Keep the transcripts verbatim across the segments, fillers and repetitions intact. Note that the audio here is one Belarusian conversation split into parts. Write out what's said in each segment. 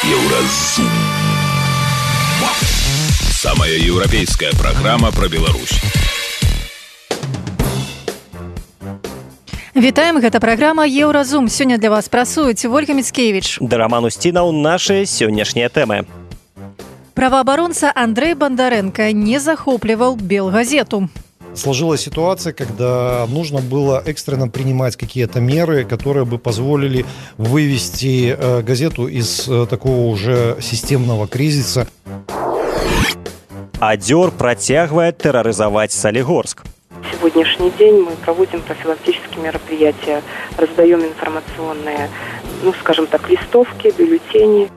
Еўразум. Самая европейская программа про Беларусь. Вітаем, гэта праграма Еўразум. Сёння для вас працуюць Ольга Міцкевіч. Да Роман Устінаў нашы сённяшнія тэмы. Правоабаронца Андрей Бондаренко не захоплівал Белгазету. Сложилась ситуация, когда нужно было экстренно принимать какие-то меры, которые бы позволили вывести э, газету из э, такого уже системного кризиса. Адзёр працягвае тэрарызаваць Солигорск. Сегодняшний день мы проводим профилактические мероприятия, раздаем информационные, ну, скажем так, листовки, бюллетени.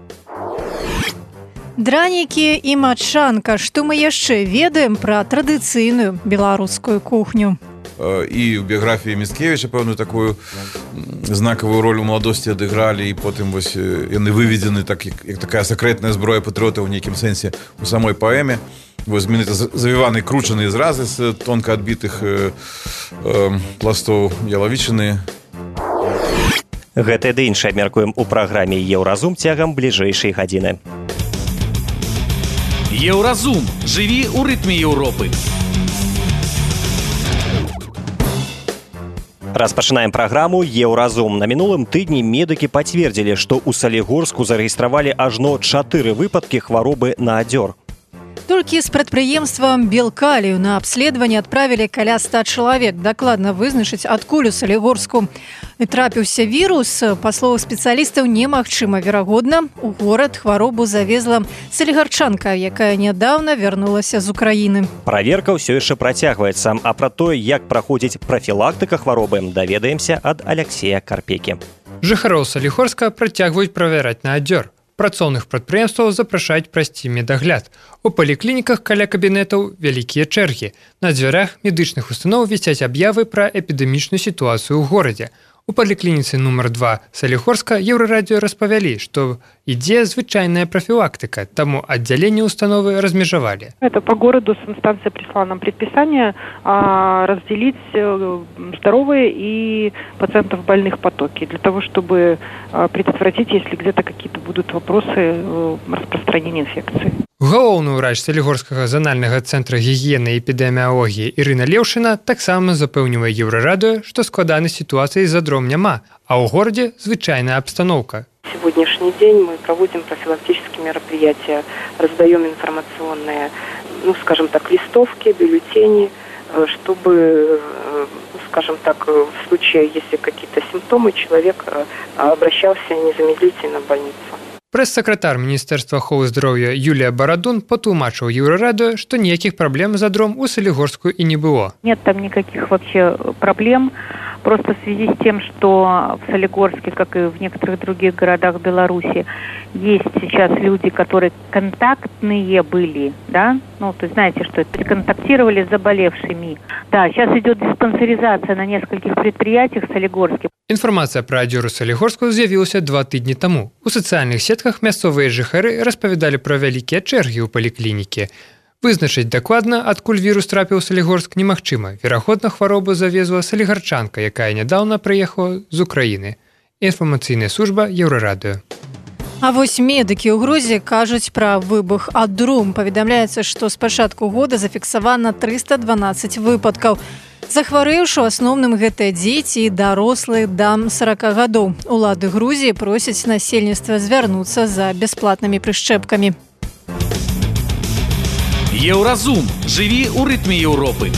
Дранікі і мачанка. Што мы яшчэ ведаем пра традыцыйную беларускую кухню? І ў біяграфіі Міцкевіча пэўную такую знакавую роль у маладосці адыгралі, і потым вось яны выведзены так, як, як такая сакрэтная зброя патрыётаў у нейкім сэнсе у самой паэме. Вось менавіта завіваны кручаныя зразы з тонка адбітых э, э, пластоў ялавічыны. Гэтае ды іншае абмяркуем у праграме Еўразум цягам бліжэйшай гадзіны. Еўразум. Жыві ў рытме Еўропы. Распачынаем праграму Еўразум. На мінулым тыдні медыкі пацвердзілі, што ў Салігорску зарэгістравалі ажно чатыры выпадкі хваробы на адзёр. Толькі з прадпрыемствам Белкалію на абследаванне адправілі каля ста чалавек. Дакладна вызначыць, адкуль у Салігорску трапіўся вірус, па словах спецыялістаў, немагчыма. Верагодна, у горад хваробу завезла салігарчанка, якая нядаўна вярнулася з Украіны. Праверка ўсё яшчэ працягваецца, а пра тое, як праходзіць прафілактыка хваробы, даведаемся ад Аляксея Карпекі. Жыхароў Салігорска працягваюць правяраць на адзёр. Працоўных прадпрыемстваў запрашаюць прайсці медагляд. У паліклініках каля кабінетаў вялікія чэргі. На дзвярах медычных устаноў вісяць аб'явы пра эпідэмічную сітуацыю ў горадзе. У паліклініцы нумар два Салігорска Еўрарадыё распавялі, што ідзе звычайная профилактика, тому отделение установы размежевали. Это по городу санстанция прислала нам предписание а, разделить здоровые и пациентов больных потоки, для того, чтобы а, предотвратить, если где-то какие-то будут вопросы а, распространения инфекции. Галоўны ўрач Салігорскага занальнага цэнтра гігіены і эпідэміялогіі Ірына Леўшына таксама запэўнівае Еўрарадыё, што складанай сітуацыі з задром няма, а ў горадзе звычайная абстаноўка. Сегодняшний день мы проводим профилактические мероприятия, раздаем информационные, ну, скажем так, листовки, бюллетени, чтобы, скажем так, в случае, если какие-то симптомы, человек обращался незамедлительно в больницу. Прэс-сакратар Міністэрства аховы здароўя Юлія Барадун патлумачыў Еўрарадыё, што ніякіх праблем з адром у Салігорску і не было. Нет там никаких вообще проблем. Просто в связи с тем, что в Солигорске, как и в некоторых других городах Беларуси, есть сейчас люди, которые контактные были, да, ну, то есть знаете, что это, контактировали с заболевшими. Да, сейчас идет диспансеризация на нескольких предприятиях в Солигорске. Інфармацыя пра адзёр у Салігорску з'явілася два тыдні таму. У сацыяльных сетках мясцовыя жыхары распавядалі пра вялікія чэргі ў паліклінікі. Вызначыць дакладна, адкуль вірус трапіў у Салігорск, немагчыма. Верагодна, хваробу завезла салігарчанка, якая нядаўна прыехала з Украіны. Інфармацыйная служба Еўрарадыё. А вось медыкі ў Грузіі кажуць пра выбух адрум. Паведамляецца, што з пачатку года зафіксавана трыста дванаццаць выпадкаў. Захварэўшы, у асноўным гэта дзеці і дарослыя да сорока гадоў. Улады Грузіі просяць насельніцтва звярнуцца за бясплатнымі прышчэпкамі. Еўразум. Жыві ў рытме Еўропы.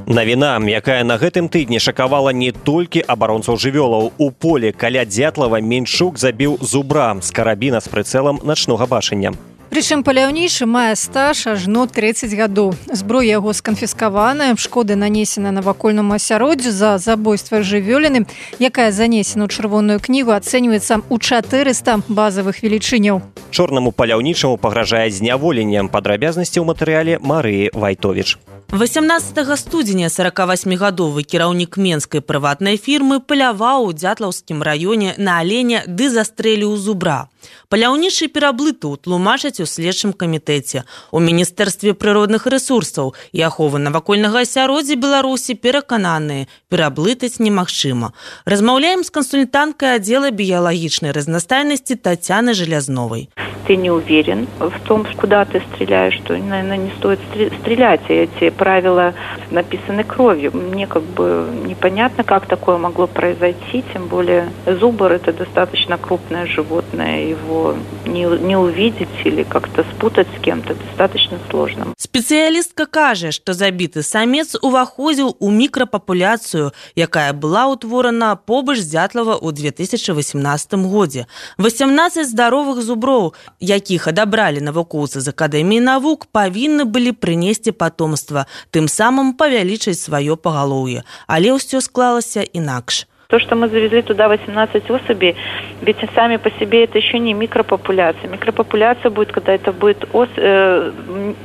Навіна, якая на гэтым тыдні шакавала не толькі абаронцаў жывёлаў. У полі каля Дятлава Менчук забіў зубра з карабіна з прыцэлам начнога бачання. Прычым паляўнічы мае стаж ажно трыццаць гадоў. Зброя яго сканфіскаваная, шкоды нанесена навакольнаму асяроддзю за забойства жывёліны, якая занесена ў чырвоную кнігу, ацэньваецца ў чатырыста базавых велічыняў. Чорнаму паляўнічаму пагражае зняволеннем. Падрабязнасці ў матэрыяле Марыі Вайтовіч. восемнадцатага студзеня сорокавасьмігадовы кіраўнік менскай прыватнай фірмы паляваў у Дзятлаўскім раёне на аленя ды застрэліў зубра. Паляўнічы пераблыту тлумачаць у следчым камітэце. У Міністэрстве прыродных рэсурсаў і аховы навакольнага асяроддзя Беларусі перакананыя, пераблытаць немагчыма. Размаўляем з кансультанткай аддзела біялагічнай разнастайнасці Татьяны Желязновой. Ты не уверен в том, куда ты стреляешь, что, наверное, не стоит стрелять. И эти правила написаны кровью. Мне как бы непонятно, как такое могло произойти, тем более зубр – это достаточно крупное животное, его не, не увидеть или как-то спутать с кем-то достаточно сложно. Спецыялістка кажа, што забіты самец уваходзіў у мікрапапуляцыю, якая была ўтворана побач Дзятлава ў две тысячы васемнаццатым годзе. восемнадцаць здаровых зуброў, якіх адабралі навукоўцы з Акадэміі навук, павінны былі прынесці патомства, тым самым павялічыць сваё пагалоўе. Але ўсё склалася інакш. То, что мы завезли туда восемнадцать особей, ведь сами по себе это еще не микропопуляция. Микропопуляция будет, когда это будет ос, э,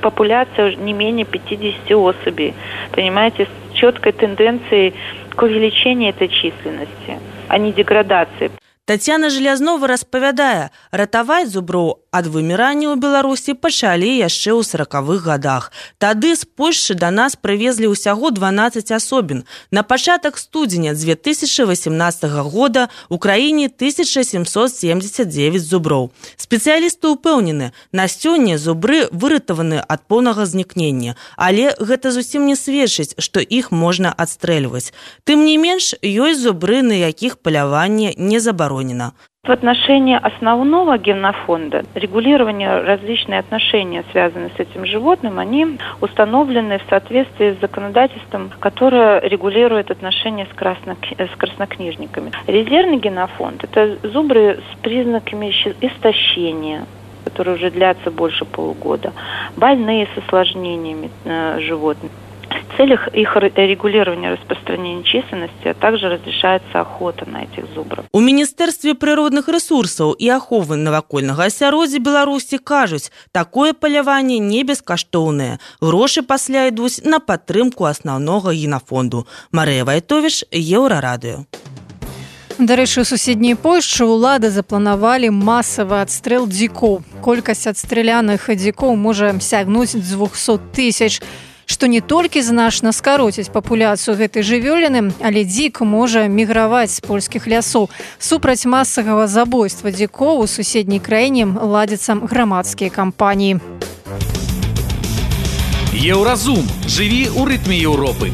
популяция не менее пятьдесят особей. Понимаете, с четкой тенденцией к увеличению этой численности, а не деградации. Татьяна Желязнова распавядае, ратаваць зуброў ад вымірання ў Беларусі пачалі яшчэ ў саракавых гадах. Тады з Польшчы да нас прывезлі ўсяго дванаццаць асобін. На пачатак студзеня две тысячы васемнаццатага года ў краіне тысяча сямсот семьдесят девять зуброў. Спецыялісты ўпэўнены, на сёння зубры выратаваны ад поўнага знікнення, але гэта зусім не сведчыць, што іх можна адстрэльваць. Тым не менш, ёсць зубры, на якіх паляванне не забаронена. В отношении основного генофонда регулирование, различные отношения, связанные с этим животным, они установлены в соответствии с законодательством, которое регулирует отношения с, красно, с краснокнижниками. Резервный генофонд – это зубры с признаками истощения, которые уже длятся больше полугода, больные с осложнениями э, животных. В целях их регулирования распространения численности, а также разрешается охота на этих зубров. У Міністэрстве прыродных рэсурсаў і аховы навакольнага асяроддзя Беларусі кажуць, такое паляванне не бескаштоўнае. Грошы пасля ідуць на падтрымку асноўнага генафонду. Марыя Вайтовіч, Еўрарадыё. Дарэчы, у суседняй Польшчы ўлады запланавалі масавы адстрэл дзікоў. Колькасць адстрэляных дзікоў можа сягнуць двухсот тысяч, што не толькі значна скароціць папуляцыю гэтай жывёліны, але дзік можа міграваць з польскіх лясоў. Супраць масавага забойства дзікоў у суседняй краіне ладзяцца грамадскія кампаніі. Еўразум. Жыві ў рытме Еўропы.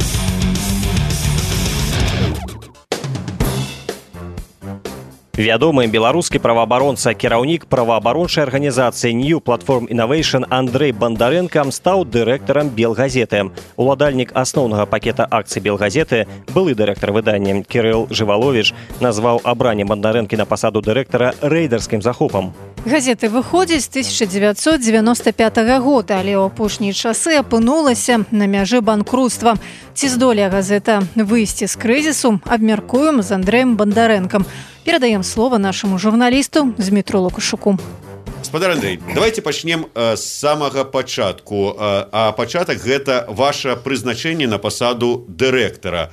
Вядомы беларускі праваабаронца, кіраўнік праваабарончай арганізацыі New Platform Innovation Андрэй Бандарэнка стаў дырэктарам Белгазеты. Уладальнік асноўнага пакета акцый Белгазеты, былы дырэктар выдання Кірыл Жываловіч, назваў абранне Бандарэнкі на пасаду дырэктара рэйдарскім захопам. Газеты выходзіць з тысяча дзевяцьсот дзевяноста пятага года, але ў апошнія часы апынулася на мяжы банкрутства. Ці здолее газета выйсці з крызісу, абмяркуем з Андрэем Бандарэнкам. Перадаем слово нашему журналисту Дмитру Лукашуку. Гаспадар Андрей, давайте пачнем э, з самага пачатку. Э, а пачатак гэта ваше прызначэнне на пасаду дырэктара.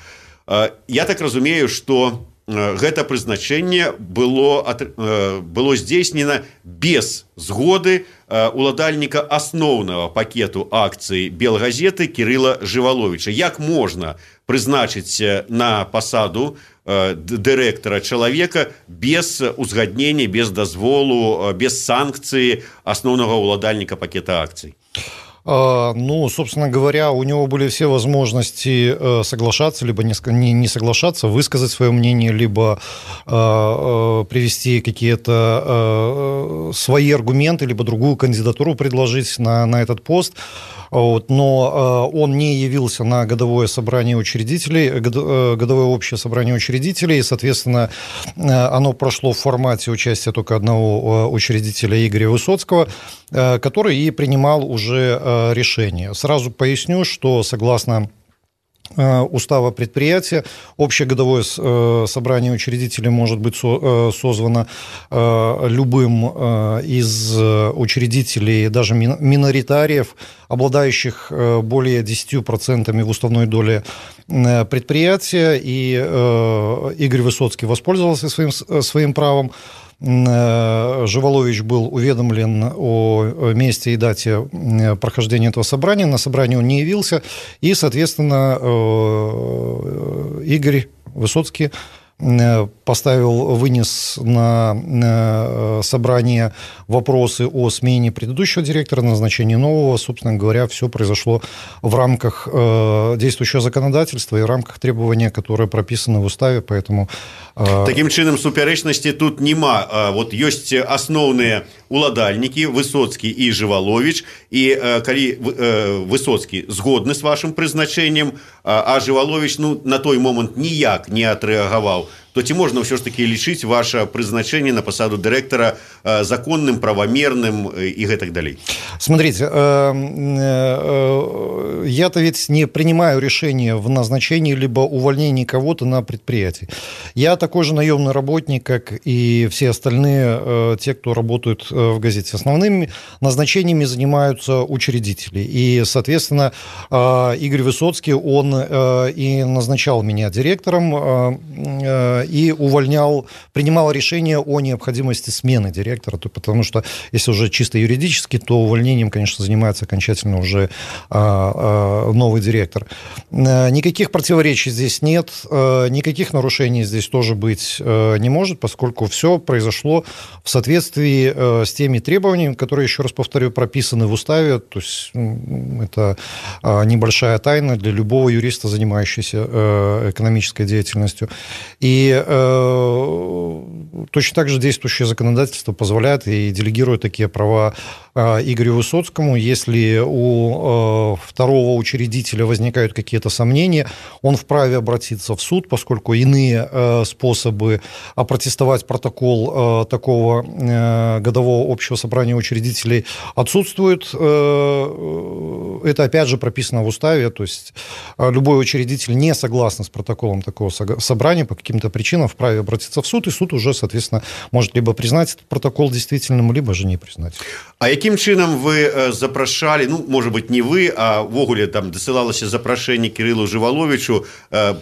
Э, я так разумею, што э, гэта прызначэнне было, э, было здзейснена без згоды э, уладальніка асноўнага пакету акцый Белгазеты Кірыла Жываловіча. Як можна прызначыць на пасаду дырэктара чалавека без узгаднення, без дазволу, без санкцыі асноўнага уладальніка пакета акцый? Ну, собственно говоря, у него были все возможности соглашаться, либо не соглашаться, высказать свое мнение, либо привести какие-то свои аргументы, либо другую кандидатуру предложить на, на этот пост. Вот, но э, он не явился на годовое собрание учредителей, год, э, годовое общее собрание учредителей, и, соответственно, э, оно прошло в формате участия только одного э, учредителя Игоря Высоцкого, э, который и принимал уже э, решение. Сразу поясню, что согласно устава предприятия. Общее годовое собрание учредителей может быть созвано любым из учредителей, даже миноритариев, обладающих более десятью процентами в уставной доле предприятия. И Игорь Высоцкий воспользовался своим, своим правом. Живолович был уведомлен о месте и дате прохождения этого собрания. На собрание он не явился, и, соответственно, Игорь Высоцкий поставил, вынес на собрание вопросы о смене предыдущего директора, назначении нового. Собственно говоря, все произошло в рамках действующего законодательства и в рамках требования, которые прописаны в уставе, поэтому... Таким чынам, супярэчнасці тут нема. Вот ёсць асноўныя уладальнікі Высоцкі і Жывалович, і калі Высоцкі згодны з вашым прызначэннем, а Жывалович ну, на той момант ніяк не адрэагаваў, то ці можна ўсё ж таки лічыць ваше прызначэнне на пасаду дырэктара законным, правомерным и гэтак далей? Смотрите, я-то ведь не принимаю решение в назначении либо увольнении кого-то на предприятии. Я такой же наемный работник, как и все остальные, те, кто работают в газете. Основными назначениями занимаются учредители. И, соответственно, Игорь Высоцкий, он и назначал меня директором, и увольнял, принимал решение о необходимости смены директора, потому что, если уже чисто юридически, то увольнением, конечно, занимается окончательно уже новый директор. Никаких противоречий здесь нет, никаких нарушений здесь тоже быть не может, поскольку все произошло в соответствии с теми требованиями, которые, еще раз повторю, прописаны в уставе, то есть это небольшая тайна для любого юриста, занимающегося экономической деятельностью. И точно так же действующее законодательство позволяет и делегирует такие права Игорю Высоцкому. Если у второго учредителя возникают какие-то сомнения, он вправе обратиться в суд, поскольку иные способы опротестовать протокол такого годового общего собрания учредителей отсутствуют. Это, опять же, прописано в уставе, то есть любой учредитель, не согласный с протоколом такого собрания, по каким-то причинам вправе обратиться в суд, и суд уже, соответственно, может либо признать этот протокол действительным, либо же не признать. А яким чынам вы запрашалі, ну, может быть, не вы, а ввогуле там дасылалася запрашэнне Кірылу Жываловичу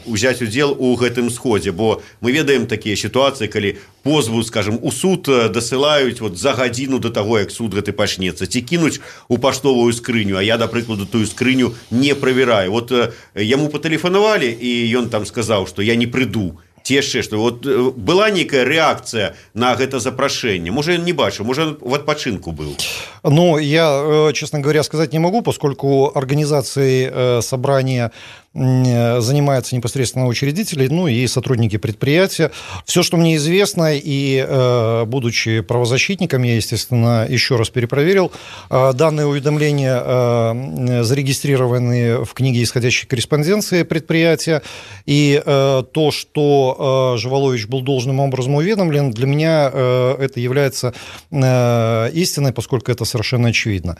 узяць удзел у гэтым сходзе, бо мы ведаем такія сітуацыі, калі позву, скажем, у суд дасылаюць вот за гадзіну до таго, як суд гэты пачнецца, ці кінуць у паштовую скрыню, а я, да прыкладу, тую скрыню не правяраю. Вот яму патэлефанавалі, і ён там сказаў, што я не прыйду. Ці яшчэ што, вот была нейкая рэакцыя на гэта запрашэнне? Можа, ён не бачыў, можа, ён в адпачынку быў? Ну, я, честно говоря, сказать не могу, поскольку организацией собрания занимаются непосредственно учредители, ну и сотрудники предприятия. Все, что мне известно, и будучи правозащитником, я, естественно, еще раз перепроверил, данные уведомления зарегистрированы в книге исходящей корреспонденции предприятия, и то, что Жыволович был должным образом уведомлен, для меня это является истиной, поскольку это совершенно очевидно.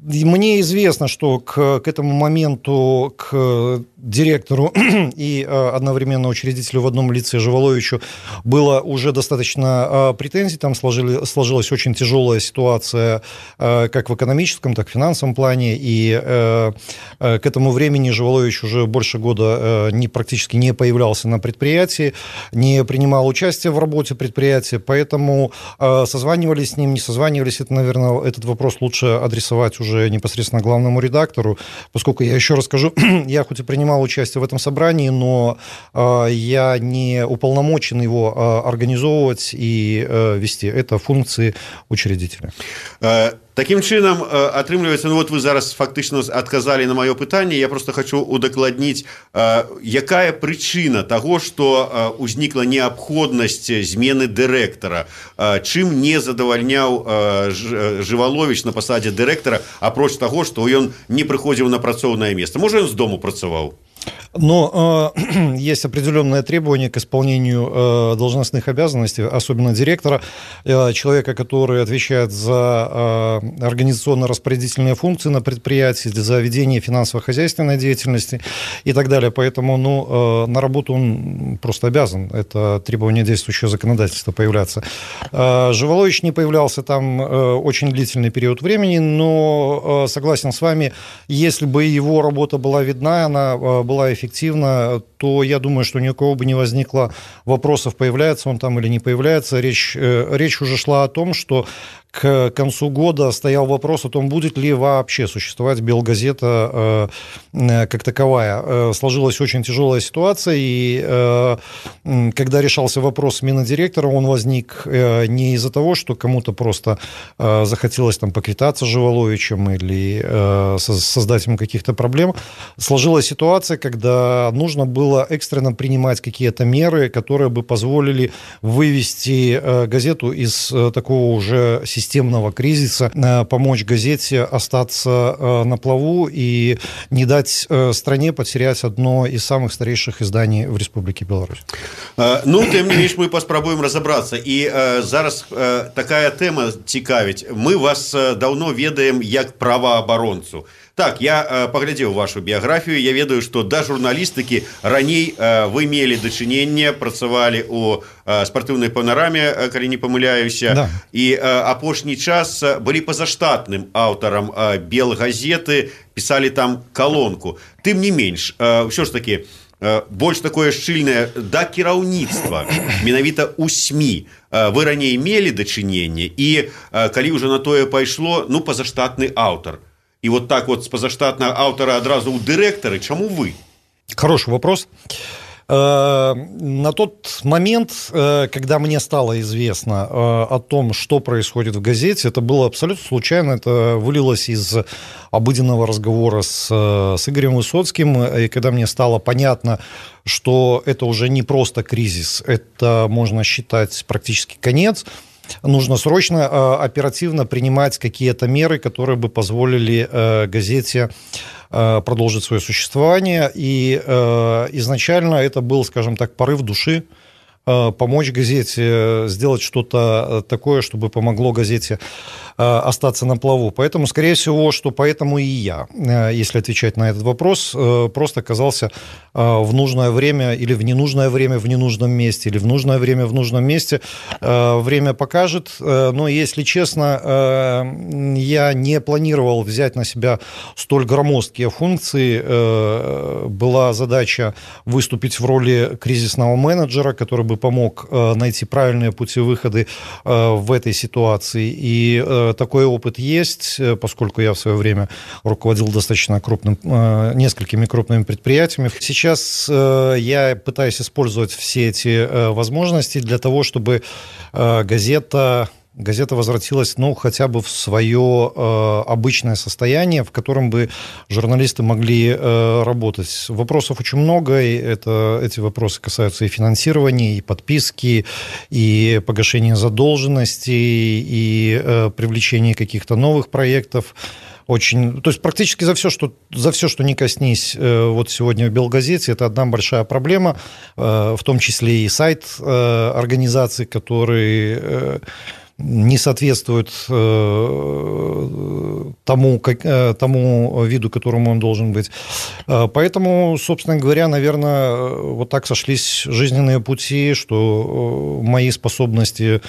Мне известно, что к, к этому моменту к директору и одновременно учредителю в одном лице Жыволовичу было уже достаточно претензий, там сложили, сложилась очень тяжелая ситуация как в экономическом, так и в финансовом плане, и к этому времени Жыволович уже больше года не, практически не появлялся на предприятии, не принимал участие в работе предприятия, поэтому созванивались с ним, не созванивались, это, наверное, этот вопрос лучше адресовать уже непосредственно главному редактору, поскольку, я еще раз скажу, я хоть и принимал участие в этом собрании, но э, я не уполномочен его э, организовывать и э, вести. Это функции учредителя. Таким чынам, атрымліваецца, ну вот вы зараз фактычна адказалі на маё пытанне, я просто хочу удакладніць, якая прычына таго, што узнікла неабходнасць змены дырэктара, чым не задавальняў Жывалович на пасадзе дырэктара, апроч таго, што ён не прыходзіў на працоўнае месца. Можа, ён з дому працаваў? Но э, есть определенное требование к исполнению э, должностных обязанностей, особенно директора, э, человека, который отвечает за э, организационно-распорядительные функции на предприятии, за ведение финансово-хозяйственной деятельности и так далее. Поэтому ну, э, на работу он просто обязан. Это требование действующего законодательства появляться. Э, Живолович не появлялся там э, очень длительный период времени, но э, согласен с вами, если бы его работа была видна, она э, была эффективна, эффективно, то я думаю, что ни у кого бы не возникло вопросов, появляется он там или не появляется. Речь, речь уже шла о том, что к концу года стоял вопрос о том, будет ли вообще существовать Белгазета э, как таковая. Э, сложилась очень тяжелая ситуация, и э, когда решался вопрос смены директора, он возник э, не из-за того, что кому-то просто э, захотелось там поквитаться с Живоловичем или э, создать ему каких-то проблем. Сложилась ситуация, когда нужно было экстренно принимать какие-то меры, которые бы позволили вывести э, газету из э, такого уже системного системного кризиса, помочь газете остаться на плаву и не дать стране потерять одно из самых старейших изданий в Республике Беларусь. Ну, тем не менш, мы паспрабуем разобрацца. І зараз такая тэма цікавіць. Мы вас даўно ведаем як праваабаронцу. Так, я паглядзеў вашу біяграфію, я ведаю, што да журналістыкі раней вы мелі дачыненне, працавалі ў спартыўнай панараме, калі не памыляюся, да. І апошні час былі пазаштатным аўтарам Белгазеты, пісалі там калонку. Тым не менш, ўсё ж такі, больш такое шчыльнае да кіраўніцтва, менавіта ў СМІ. Вы раней мелі дачыненне, і калі ўжо на тое пайшло, ну, пазаштатны аўтар. И вот так вот с позаштатного автора одразу у директора. Чему вы? Хороший вопрос. На тот момент, когда мне стало известно о том, что происходит в газете, это было абсолютно случайно. Это вылилось из обыденного разговора с, с Игорем Высоцким. И когда мне стало понятно, что это уже не просто кризис, это, можно считать, практически конец, нужно срочно, оперативно принимать какие-то меры, которые бы позволили газете продолжить свое существование. И изначально это был, скажем так, порыв души, помочь газете, сделать что-то такое, чтобы помогло газете остаться на плаву. Поэтому, скорее всего, что поэтому и я, если отвечать на этот вопрос, просто оказался в нужное время или в ненужное время в ненужном месте, или в нужное время в нужном месте. Время покажет. Но, если честно, я не планировал взять на себя столь громоздкие функции. Была задача выступить в роли кризисного менеджера, который бы помог найти правильные пути выхода в этой ситуации. И такой опыт есть, поскольку я в свое время руководил достаточно крупным, несколькими крупными предприятиями. Сейчас я пытаюсь использовать все эти возможности для того, чтобы газета... газета возвратилась, ну, хотя бы в свое э, обычное состояние, в котором бы журналисты могли э, работать. Вопросов очень много, и это, эти вопросы касаются и финансирования, и подписки, и погашения задолженностей, и э, привлечения каких-то новых проектов. Очень, то есть практически за все, что, за все, что не коснись э, вот сегодня в Белгазете, это одна большая проблема, э, в том числе и сайт э, организации, который... Э, не соответствует э, тому, как, э, тому виду, которому он должен быть. Поэтому, собственно говоря, наверное, вот так сошлись жизненные пути, что мои способности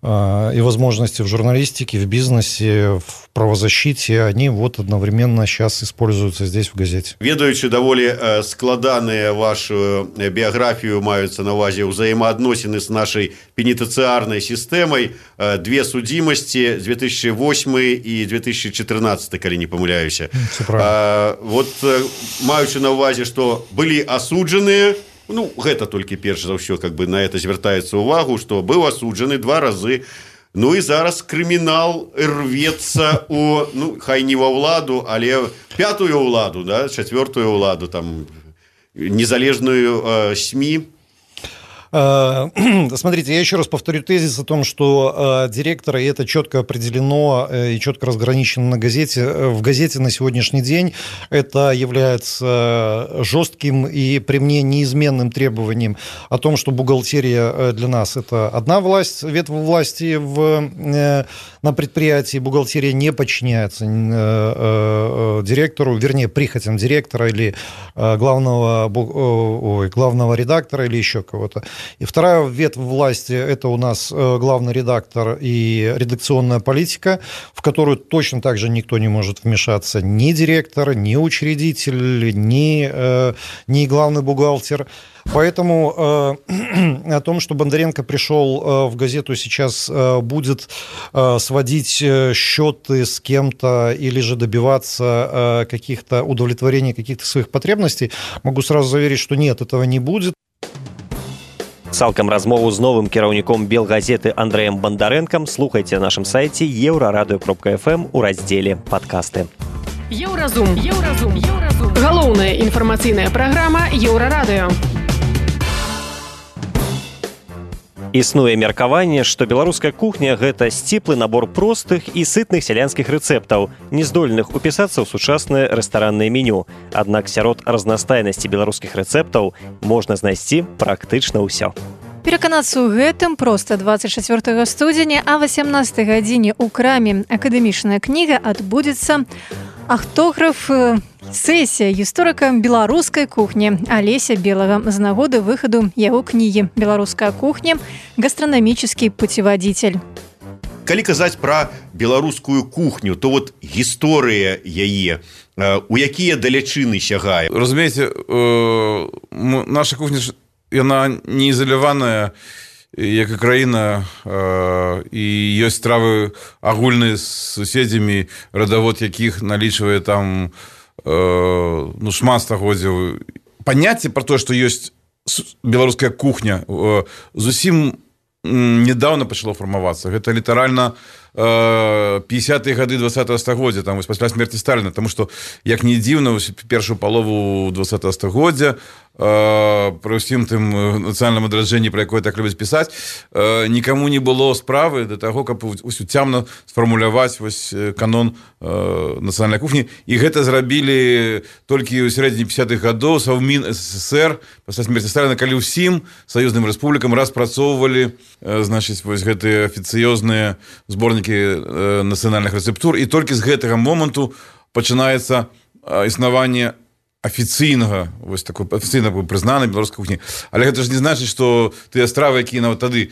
и возможности в журналистике, в бизнесе, в правозащите, они вот одновременно сейчас используются здесь, в газете. Ведаючы даволі складаныя вашу біяграфію, маюцца на ўвазе ўзаемаадносіны з нашай пенітэнцыярнай сістэмай, две судзімасці, две тысячи восьмы і две тысячи чатырнаццаты, калі не памыляюся. А, вот маючы на ўвазе, што былі асуджаныя, ну, гэта толькі перш за ўсё, как бы на это звяртаецца ўвагу, што быў асуджаны два разы. Ну і зараз крымінал рвецца у, ну, хай не ва ўладу, але пятую ўладу, да, чацвёртую ўладу, там, незалежную э, СМІ. Смотрите, я еще раз повторю тезис о том, что директора, и это четко определено и четко разграничено на газете, в газете на сегодняшний день, это является жестким и при мне неизменным требованием о том, что бухгалтерия для нас это одна власть, ветвь власти в, на предприятии, бухгалтерия не подчиняется директору, вернее, прихотям директора или главного, ой, главного редактора или еще кого-то. И вторая ветвь власти – это у нас главный редактор и редакционная политика, в которую точно так же никто не может вмешаться, ни директор, ни учредитель, ни, ни главный бухгалтер. Поэтому э, о том, что Бондаренко пришел э, в газету сейчас э, будет э, сводить счеты с кем-то или же добиваться э, каких-то удовлетворения каких-то своих потребностей, могу сразу заверить, что нет, этого не будет. Цалкам размову з новым кіраўніком Белгазеты Андрэем Бондаренком слухайте на нашем сайце еўрарадыё кропка эф эм у разделе «Падкасты». Еўразум. Еўразум. Еўразум. Галоўная інфармацыйная праграма Еўрарадыё. Існуе меркаванне, што беларуская кухня – гэта сціплы набор простых і сытных сялянскіх рэцэптаў, не здольных упісацца ў сучаснае рэстараннае меню. Аднак сярод разнастайнасці беларускіх рэцэптаў можна знайсці практычна ўсё. Пераканацца ў гэтым проста двадцать чацвёртага студзеня а васямнастай гадзіне ў краме «Акадэмічная кніга» адбудзецца аўтограф сесія гісторыка беларускай кухні Алеся Белага з нагоды выхаду яго кнігі «Беларуская кухня. Гастранамічны путеводитель». Калі казаць пра беларускую кухню, то вот гісторыя яе, у якія далячыны сягае. Разумееце, наша кухня, яна не ізаляваная, як і краіна, і ёсць стравы агульныя з суседзямі, радавод якіх налічвае там ну, шмат стагоддзяў. Паняцце пра тое, што ёсць беларуская кухня, зусім недавно пачало фармавацца. Гэта літаральна пятидесятые гады двадцатого стагоддзя, там вось пасля смерти Сталіна, тому што як не дзіўна, першую палову двадцатого стагоддзя пры ўсім тым нацыянальным адраджэнні, пра якое так любяць пісаць, нікаму не было справы да таго, каб уцямна сфармуляваць вось канон нацыянальнай кухні, і гэта зрабілі толькі ў сярэдзіне пятидесятых гадоў Совмін СССР пасля смерти Сталіна, калі ўсім саюзным рэспублікам распрацоўвалі, значыць, вось гэтыя афіцыёзныя зборнікі нацыянальных рэцэптур, і толькі з гэтага моманту пачынаецца існаванне афіцыйнага, вось такой афіцыйна прызнанай беларускай кухні. Але гэта ж не значыць, што тыя стравы, якія нават тады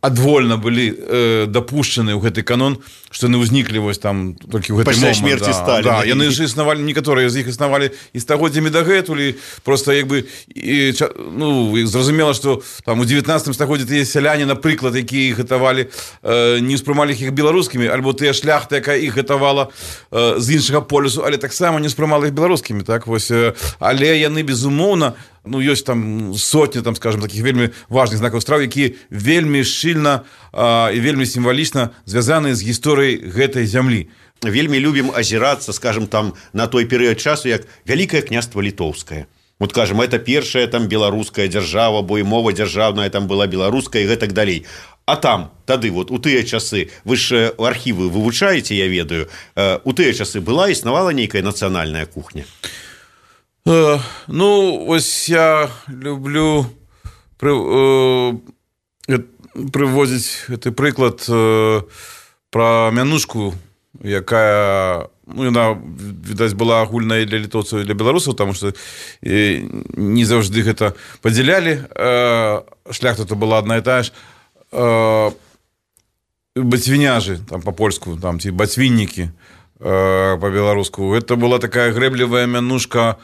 адвольна былі э, дапушчаны ў гэты канон, што яны ўзніклі вось там толькі ў гэты момант. Пасля смерці да, Сталіна. Да, яны ж існавалі, некаторыя з іх існавалі і стагоддзямі дагэтуль, просто як бы і, ну, зразумела, што там у дзевятнаццатым стагоддзі тыя сяляне, напрыклад, якія іх гатавалі, э, не ўспрымалі іх беларускімі, альбо тыя шляхта, якая іх гатавала э, з іншага полюсу, але таксама не ўспрымала іх беларускімі, так вось. Але яны, безумоўна, ну, ёсць там сотні, там, скажем, таких вельмі важных знакаў страў, якія вельмі шчыльна а, і вельмі сімвалічна звязаныя з гісторыяй гэтай зямлі. Вельмі любім азірацца, скажем, там на той перыяд часу, як Вялікае княства Літоўскае. Вот, скажем, это першая там беларуская дзяржава, бо і мова дзяржаўная там была беларуская і гэтак далей. А там, тады, вот, у тыя часы, вы ж архівы вывучаеце, я ведаю, у тыя часы была, існавала нейкая нацыянальная кухня? Ну, ось я люблю пры, э, прывозіць гэты прыклад э, пра мянушку, якая, ну, яна, відаць, была агульная для літоўцаў і для беларусаў, таму што э, не заўжды гэта падзялялі. Э, шляхта то была адна і тая ж. Э, бацвіняжы, там па-польску, там, ці бацвіннікі, э, па-беларуску. Гэта была такая грэблівая мянушка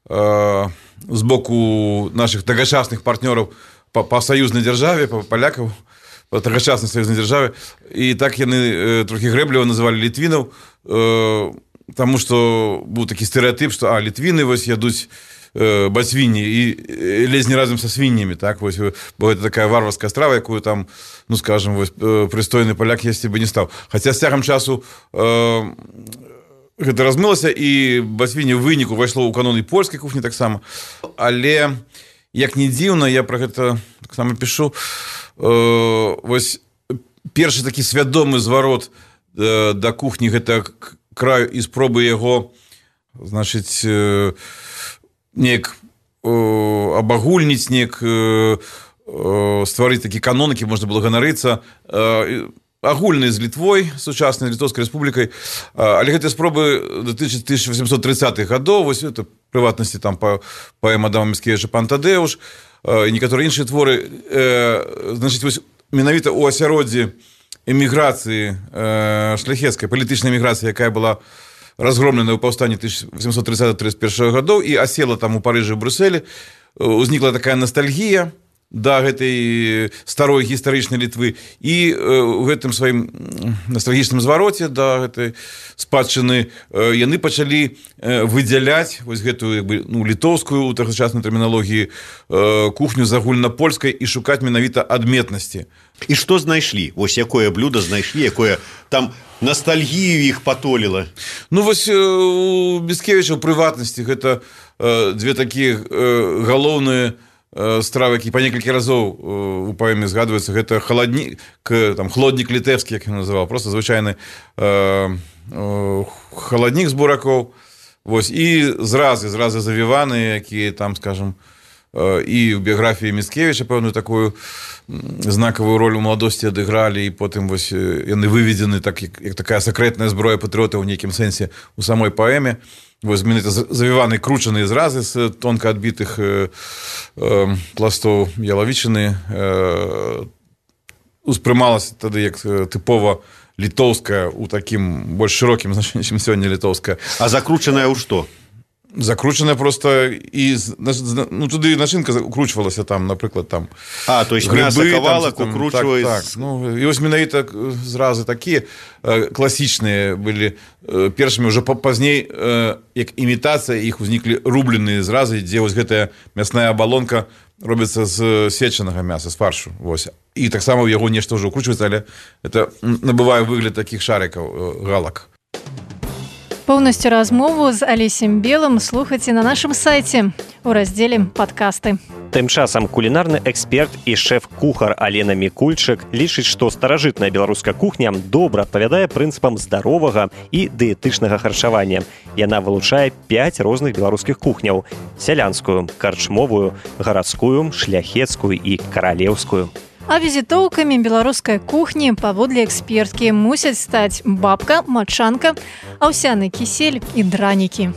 з боку наших тагачасных партнёраў па, па саюзнай дзяржаве, па палякаў, па тагачаснай саюзнай дзяржаве. І так яны э, трохі грэбліва называлі літвінаў, э, таму што быў такі стэрэатып, што а, літвіны вось ядуць э, бацвінні і ледзь не разам са свіннямі, так, вось, бо гэта такая варварская страва, якую там, ну, скажем, вось, прыстойны паляк есці бы не стаў. Хаця з цягам часу э, гэта размылася, і бацвінне ў выніку ўвайшло ў канон і польскай кухні таксама. Але як не дзіўна, я пра гэта таксама пішу, э, вось першы такі свядомы зварот э, да кухні гэта краю і спробы яго, значыць, э, неяк э, абагульніць, неяк э, э, стварыць такі канон, які можна было ганарыцца, э, агульны з Літвой, сучаснай Літоўскай рэспублікай, але гэтыя спробы датычаць тысяча восемьсот тридцатых гадоў, вось это прыватнасці там паэма Адама Міцкевіча «Пан Тадеуш», і некаторыя іншыя творы. Значыць, вось менавіта ў асяроддзі эміграцыі шляхецкай, палітычнай эміграцыі, якая была разгромлена ў паўстанні тысяча восемьсот тридцатого — тридцать первого гадоў і асела там у Парыжы, у Брюсселі, узнікла такая ностальгія да гэтай старой гістарычнай Літвы, і ў гэтым сваім ностальгічным звароце да гэтай спадчыны яны пачалі выдзяляць вось гэтую, як бы, ну, літоўскую ў тагачаснай тэрміналогіі кухню з агульнапольскай і шукаць менавіта адметнасці. І што знайшлі? Вось якое блюда знайшлі, якое там ностальгію іх патоліла? Ну вось у Міцкевіча ў прыватнасці гэта дзве такія галоўныя стравы, які па некалькі разоў у паэме згадваюцца. Гэта халаднік, там, хлоднік літэўскі, як ён называў, просто звычайны э, э, халаднік з буракоў, вось, і зразы, зразы завіваны, якія там, скажем, э, і ў біяграфіі Міцкевіча пэўную такую знакавую роль у маладосці адыгралі, і потым вось яны выведзены так, як, як такая сакрэтная зброя патрыёта ў нейкім сэнсе у самой паэме. Вось менавіта завіваны кручаныя зразы з тонка адбітых э, э, пластоў ялавічыны э, успрымалася тады як тыпова літоўская у такім больш шырокім значэнні, чым сёння літоўская. А закручаная ў што? Закручаная просто і ну, туды начинка укручвалася там, напрыклад, там. А, то есть мяса кавалак укручваюць. Так, так. Ну, і вось менавіта зразы такія класічныя былі першымі, ўжо пазней, як імітацыя, іх узніклі рубленыя зразы, дзе вось гэтая мясная абалонка робіцца з сечанага мяса, з фаршу. Вось. І таксама ў яго нешта ўжо укручваецца, але это набывае выгляд такіх шарикаў, галак. Поўнасцю размову з Алесем Белым слухайце на нашым сайце у раздзеле «Падкасты». Тым часам кулінарны эксперт і шэф-кухар Алена Мікульчык лічыць, што старажытная беларуская кухня добра адпавядае прынцыпам здаровага і дыетычнага харчавання. Яна вылучае пяць розных беларускіх кухняў: сялянскую, карчмовую, гарадскую, шляхецкую і каралеўскую. А візітоўкамі беларускай кухні, паводле эксперткі, мусяць стаць бабка, мачанка, аўсяны кісель і дранікі.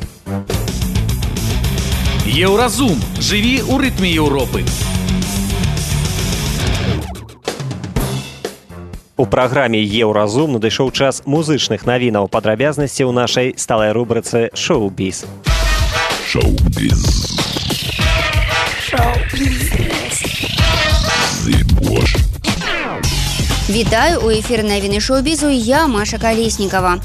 Еўразум. Жыві ў рытме Еўропы. У праграме «Еўразум» надышоў час музычных навінаў, падрабязнасці ў нашай сталай рубрыцы «Шоу-біз». Шоу-біз. Шоу-біз. Вітаю, у эфіры навіны шоу-бізу, я Маша Калеснікава.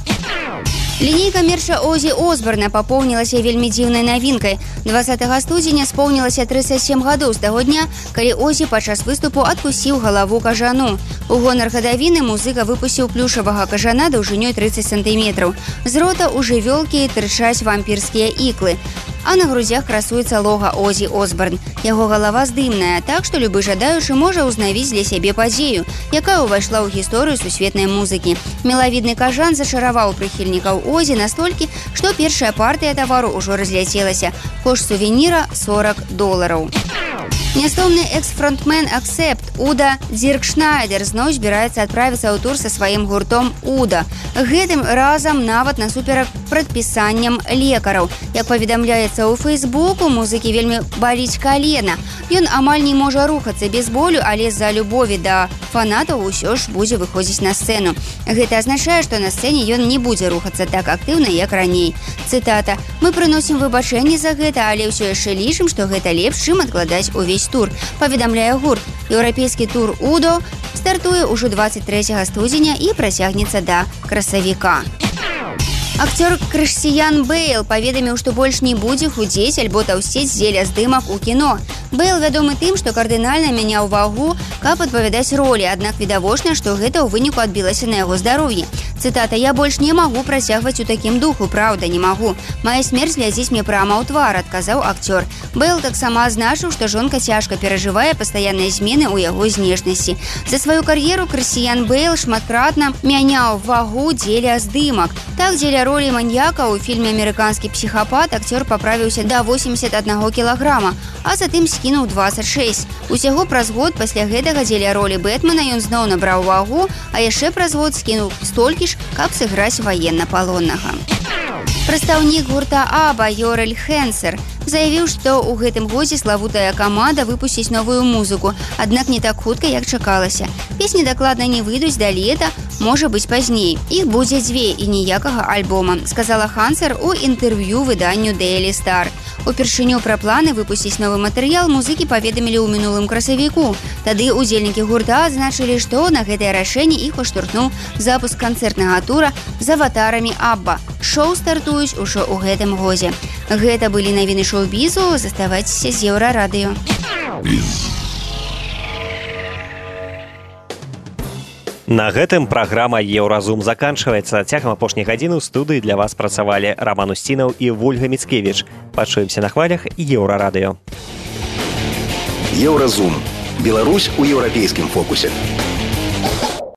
Лінейка мерча Озі Осборна папоўнілася вельмі дзіўнай навінкай. дваццатага студзеня споўнілася трыццаць сем гадоў з таго дня, калі Озі падчас выступу адкусіў галаву кажану. У гонар гадавіны музыка выпусціў плюшавага кажана даўжынёй трыццаць сантыметраў. З рота ў жывёлкі тырчаць вампірскія іклы, а на грудзях красуецца лога Озі Осборн. Яго галава здымная, так што любы жадаючы можа ўзнавіць для сябе падзею, якая ўвайшла ў гісторыю сусветнай музыкі. Мелавідны кажан зачараваў прыхільнікаў Озі настолькі, што першая партыя тавару ўжо разляцелася. Кошт сувеніра сорок долараў. Нястомны экс-фронтмен Аксепт Уда Дзіркшнайдер зноў збіраецца адправіцца ў тур са сваім гуртом Уда. Гэтым разам нават насуперак прадпісанням лекараў. Як паведамляецца ў Фейсбуку, музыкі вельмі баліць калена. Ён амаль не можа рухацца без болю, але з-за любові да фанатаў усё ж будзе выходзіць на сцэну. Гэта азначае, што на сцэне ён не будзе рухацца так актыўна, як раней. Цытата: «Мы прыносім выбачэнні за гэта, але ўсё яшчэ лічым, што гэта лепш, чым адкладаць увесь тур», паведамляе гурт. Еўрапейскі тур Удо стартуе ўжо дваццаць трэцяга студзеня і працягнецца да красавіка. Акцёр Крысціян Бэйл паведаміў, што больш не будзе худзець альбо таўсцець дзеля здымак у кіно. Бэйл вядомы тым, што кардынальна мяняў вагу, каб адпавядаць ролі, аднак відавочна, што гэта ў выніку адбілася на яго здароўі. Цытата: «Я больш не магу працягваць у такім духу, праўда, не магу. Мая смерць глядзіць мне прама ў твар», адказаў акцёр. Бэйл таксама азначыў, што жонка цяжка перажывае пастаянныя змены ў яго знешнасці. За сваю кар'еру Крысціян Бэйл шматкратна мяняў вагу дзеля здымак. Так, дзеля ролі маньяка ў фільме «Амерыканскі псіхапат» акцёр паправіўся да восемьдесят аднаго кілаграма, а затым скінуў двадцать шесть. Усяго праз год пасля гэтага дзеля ролі Бэтмена ён зноў набраў вагу, а яшчэ праз год скінуў столькі ж, каб сыграць ваеннапалоннага. Прадстаўнік гурта Аба Йорэль Хэнсер заявіў, што ў гэтым годзе славутая каманда выпусціць новую музыку, аднак не так хутка, як чакалася. Песні дакладна не выйдуць да лета, можа быць пазней. Іх будзе дзве і ніякага альбома, сказала Хэнсер у інтэрв'ю выданню Daily Star. Упершыню пра планы выпусціць новы матэрыял музыкі паведамілі ў мінулым красавіку. Тады удзельнікі гурта адзначылі, што на гэтае рашэнне іх уштурхнуў запуск канцэртнага тура з аватарамі Абба. Шоу стартуюць ужо ў гэтым годзе. Гэта былі навіны шоу-бізу, заставайцеся з Еўрарадыё. На гэтым праграма «Еўразум» заканчваецца. Цягам апошняй гадзіны ў студыі для вас працавалі Раман Усцінаў і Вольга Міцкевіч. Пачуемся на хвалях Еўрарадыё. Еўразум. Беларусь у еўрапейскім фокусе.